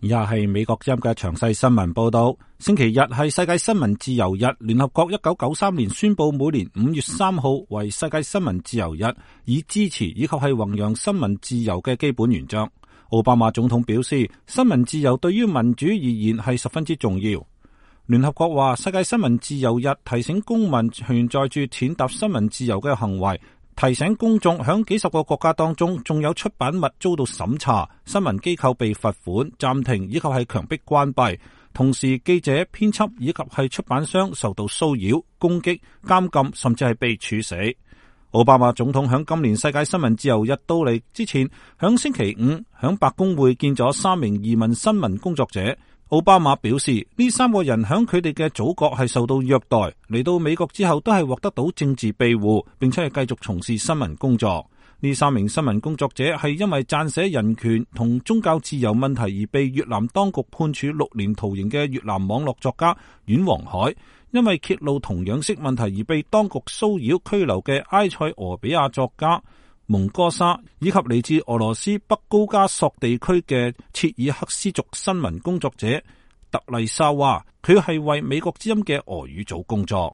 以下係美國之音嘅詳細新聞報道。星期日係世界新聞自由日，聯合國1993年宣布每年5月3號為世界新聞自由日，以支持以及係弘揚新聞自由嘅基本原則。奧巴馬總統表示，新聞自由對於民主而言係十分之重要。聯合國話，世界新聞自由日提醒公民存在住踐踏新聞自由嘅行為，提醒公眾響幾十個國家當中，仲有出版物遭到審查，新聞機構被罰款、暫停以及係強迫關閉。同時，記者、編輯以及係出版商受到騷擾、攻擊、監禁，甚至係被處死。奧巴馬總統響今年世界新聞自由日到嚟之前，響星期五響白宮會見咗3名移民新聞工作者。奧巴馬表示，呢3個人響佢哋嘅祖國係受到虐待，嚟到美國之後都係獲得到政治庇護，並且係繼續從事新聞工作。呢3名新聞工作者係因為撰寫人權同宗教自由問題而被越南當局判處6年徒刑嘅越南網絡作家阮黃海，因為揭露同樣式問題而被當局騷擾拘留嘅埃塞俄比亞作家蒙哥沙，以及嚟自俄羅斯北高加索地區嘅切爾克斯族新聞工作者特麗莎娃，佢係為美國之音嘅俄語組工作。